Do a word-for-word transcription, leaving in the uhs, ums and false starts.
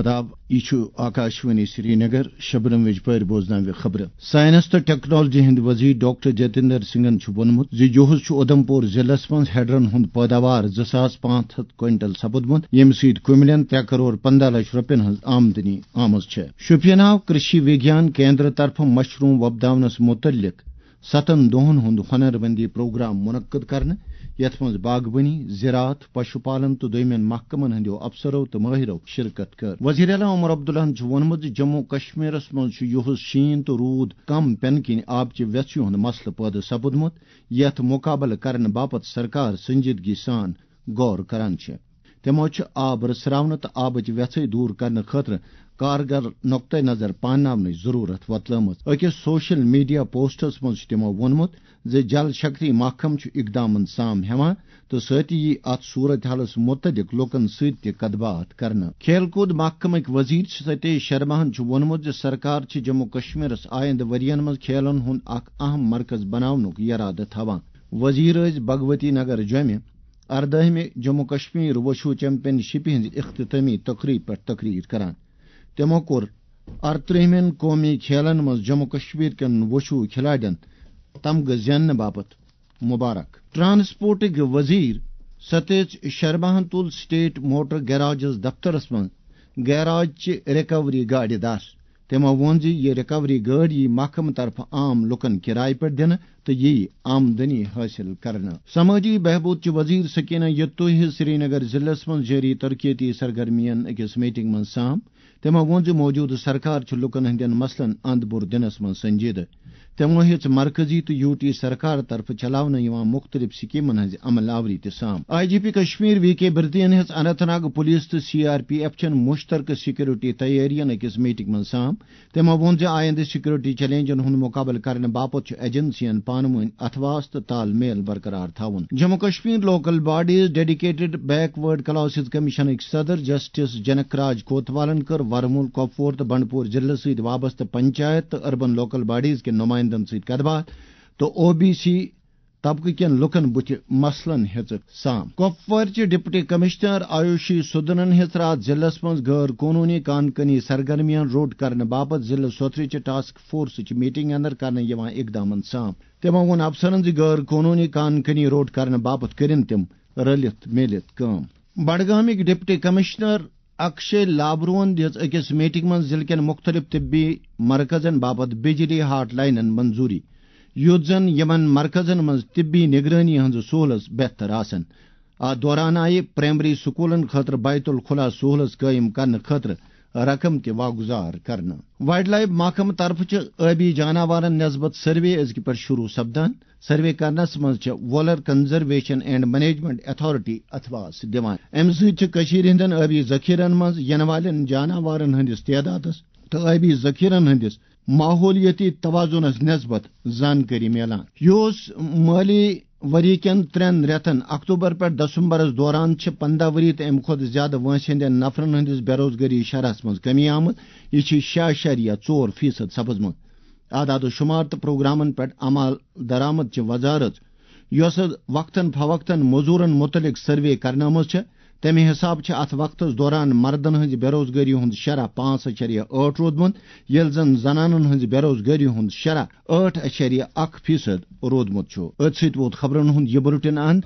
آداب، یہِ چھُ آکاشوانی سرینگر۔ شبنم وِجپٲرۍ بوزناوِ خبرٕ۔ ساینس تہٕ ٹیکنالوجی ہٕنٛدۍ وزیر ڈاکٹر جتیندر سنگھن چھُ ووٚنمُت زِ یُہُس چھُ اُدھمپور ضلعس منٛز ہیڈرن ہُنٛد پٲداوار زٕ ساس پانٛژھ ہَتھ کوینٹل سپُدمُت، ییٚمہِ سۭتۍ کُملٮ۪ن ترٛےٚ کرور پنٛداہ لچھ رۄپین ہٕنٛز آمدنی آمٕژ چھےٚ۔ شوپیناہُک کرشی وگیان کیندر طرفہٕ مشروم وۄپداونس مُتعلق ستن دۄہن ہُنٛد ہُنرمندی پروگرام منعقد کرنہٕ، یتھ منٛز باغبٲنی، زراعت، پشو پالن تہٕ دوٚیمٮ۪ن محکمن ہٕنٛدیو افسرو تہٕ مٲہرو شرکت کٔر۔ وزیر اعلیٰ عمر عبداللہن چھُ ووٚنمُت زِ جموں کشمیرس منٛز چھُ یُہُس شیٖن تہٕ روٗد کم پینہٕ کِنۍ آبچہِ ویژھہِ ہُنٛد مسلہٕ پٲدٕ سپُدمُت، یتھ مُقابلہٕ کرنہٕ باپتھ سرکار سنجیدگی سان غور کران چھِ۔ تِمو چھِ آب رژھراونہٕ تہٕ آبٕچ ویژھٕے دوٗر کرنہٕ خٲطرٕ کارگر نقطہٕ نظر پانناونٕچ ضروٗرت وۄتلٲومٕژ۔ أکِس سوشل میڈیا پوسٹس منٛز چھُ تِمو ووٚنمُت زِ جل شکتی محکمہٕ چھُ اقدامن سام ہٮ۪وان تہٕ سۭتی یی اتھ صورت حالس مُتعلق لوٗکن سۭتۍ تہِ کتھ باتھ کرنہٕ۔ کھیل کوٗد محکمٕکۍ وزیر ستیش شرماہن چھُ ووٚنمُت زِ سرکار چھِ جموں کشمیرس آیندٕ ؤرین منٛز کھیلن ہُنٛد اکھ اہم مرکز بناونُک یرادٕ تھاوان۔ وزیر ٲسۍ بھگوتی نگر جوٚمہِ اردٲہمہِ جموں کشمیر وشو چیمپین شپہِ ہٕنٛزِ اختتامی تقریبہِ پٮ۪ٹھ تقریر کران۔ تِمو کوٚر ارترٛہمٮ۪ن قومی کھیلن منٛز جموں کشمیر کٮ۪ن وشو کھلاڑٮ۪ن تمغہٕ زیننہٕ باپتھ مبارک۔ ٹرانسپورٹٕکۍ وزیر ستیش شرماہن تُل سٹیٹ موٹر گیراجز دفترس منٛز گیراج چہِ ریکوری گاڑِ دس۔ تِمو ووٚن زِ یہِ ریکوری گٲڑۍ یِیہِ محکمہٕ طرفہٕ عام لوٗکَن کِرایہِ پٮ۪ٹھ دِنہٕ تہٕ یِیہِ آمدنی حٲصِل کرنہٕ۔ سمٲجی بہبود چہِ وزیر سکینہ یتوہی سرینگر ضلعس منٛز جٲری ترقیتی سرگرمیَن أکِس میٹنگ منٛز سام۔ تِمو ووٚن زِ موجودٕ سرکار چھِ لوٗکَن ہٕنٛدٮ۪ن مسلن اند بُر دِنَس منٛز سنجیدٕ۔ تِمو ہیٚژ مرکزی تہٕ یوٗ ٹی سرکار طرفہٕ چلاونہٕ یِوان مُختٔلِف سکیمن ہٕنٛزِ عمل آوری تہِ سام۔ I G P Kashmir V K بھرتی ین ہیٚژ اننت ناگ پولیس تہٕ سی آر پی ایف چٮ۪ن مُشترکہٕ سیکورٹی تیٲرین أکِس میٹنگ منٛز سام۔ تِمو ووٚن زِ آیندٕ سیکورٹی چیلنجن ہُنٛد مُقابلہٕ کرنہٕ باپتھ چھُ ایجنسین پانہٕ وٲنۍ اتھواس تہٕ تال میل برقرار تھاوُن۔ Jammu Kashmir local bodies dedicated backward classes کمیشنٕکۍ صدر جسٹس جنک راج کوتوالن کٔر ورمُل، کۄپوور تہٕ بنڈپور ضلعس سۭتۍ وابستہٕ پنچایت تہٕ اربن لوکل باڈیز کٮ۪ن نمائندن سۭتۍ کتھ باتھ تہٕ او بی سی طبقہٕ کٮ۪ن لوٗکن بُتھِ مسلن ہیٚژٕکھ سام۔ کۄپوارچہِ ڈپٹی کمشنر آیوشی سودنن ہیٚژ راتھ ضلعس منٛز غٲر قونوٗنی کان کٲنی سرگرمیَن روٚٹ کرنہٕ باپتھ ضلعہٕ سوتھرٕچہِ ٹاسک فورسٕچ میٹنگ اندر کرنہٕ یِوان اقدامن سام۔ تِمو ووٚن افسرن زِ غٲر قونوٗنی کان کٲنی روٚٹ کرنہٕ باپتھ کٔرِن تِم رٔلِتھ میٖلِتھ کٲم۔ بڈگامٕکۍ ڈپٹی کمشنر اکشے لابروہن دِژ أکِس میٹنگ منٛز ضلعہٕ کٮ۪ن مُختٔلِف طبی مرکزن باپتھ بجلی ہاٹ لاینن منظوٗری، یُتھ زن یِمن مرکزن منٛز طبی نگرٲنی ہٕنٛز سہوٗلژ بہتر آسن۔ اتھ دوران آیہِ پرائمری سکوٗلن خٲطرٕ بیت الخلا سہوٗلژ قٲیِم کرنہٕ خٲطرٕ رقم تہِ واگُزار کرنہٕ۔ وائلڈ لائف محکمہٕ طرفہٕ چھِ ٲبی جاناوارن نسبت سروے أزکہِ پٮ۪ٹھ شروع سپدان۔ سروے کرنس منٛز چھِ Wular conservation and management authority اتھواس دِوان۔ امہِ سۭتۍ چھِ کٔشیٖرِ ہٕنٛدٮ۪ن ٲبی ذخیرن منٛز یِنہٕ والٮ۪ن جاناوارن ہٕنٛدِس تعدادس تہٕ ٲبی ذخیرن ہٕنٛدِس ماحولیٲتی توازنس نسبت زانکٲری میلان۔ یہِ اوس مٲلی ؤری کٮ۪ن ترٛٮ۪ن رٮ۪تن، اکتوبر پٮ۪ٹھ دسمبرس دوران، چھِ پنٛداہ ؤری تہٕ امہِ کھۄتہٕ زیادٕ وٲنٛسہِ ہٕنٛدٮ۪ن نفرن ہٕنٛدِس بے روزگٲری شرحس منٛز کمی آمٕژ۔ یہِ چھِ شےٚ اعشاریہ ژور فیصد سپٕزمٕژ۔ اعداد و شمار تہٕ پروگرامن پٮ۪ٹھ عمل درآمد چہِ وزارت، یۄسہٕ وقتاً فوقتاً مزورن متعلق سروے کرنٲومٕژ چھےٚ، تمہِ حساب چھِ اتھ وقتس دوران مردن ہٕنٛزِ بے روزگٲری ہُنٛد شرح پانٛژھ اعشاریہ ٲٹھ روٗدمُت، ییٚلہِ زن زنانن ہٕنٛزِ بے روزگٲری ہُنٛد شرح ٲٹھ اعشاریہ اکھ فیصد روٗدمُت چھُ۔ أتھۍ سۭتۍ ووت خبرن ہُنٛد یہِ بُلٹن اند۔